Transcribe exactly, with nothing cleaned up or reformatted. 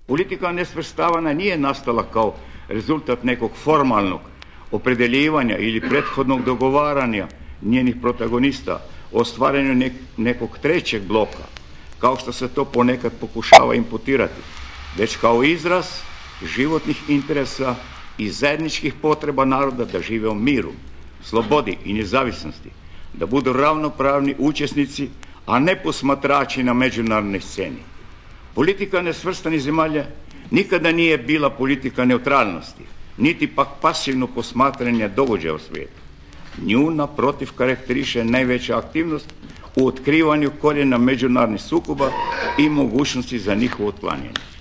Politika nesvrstavanja nije nastala kao rezultat nekog formalnog opredeljivanja ili prethodnog dogovaranja njenih protagonista o stvaranju nek nekog trećeg bloka, kao što se to ponekad pokušava imputirati, već kao izraz životnih interesa i zajedničkih potreba naroda da žive u miru, slobodi i nezavisnosti, da budu ravnopravni učesnici, a ne posmatrači na međunarodnoj sceni. Politika nesvrstanih zemalja nikada nije bila politika neutralnosti, niti pak pasivno posmatranje događaja u svijetu. Nju, naprotiv, karakteriše najveća aktivnost u otkrivanju korijena međunarodnih sukoba i mogućnosti za njihovo otklanjanje.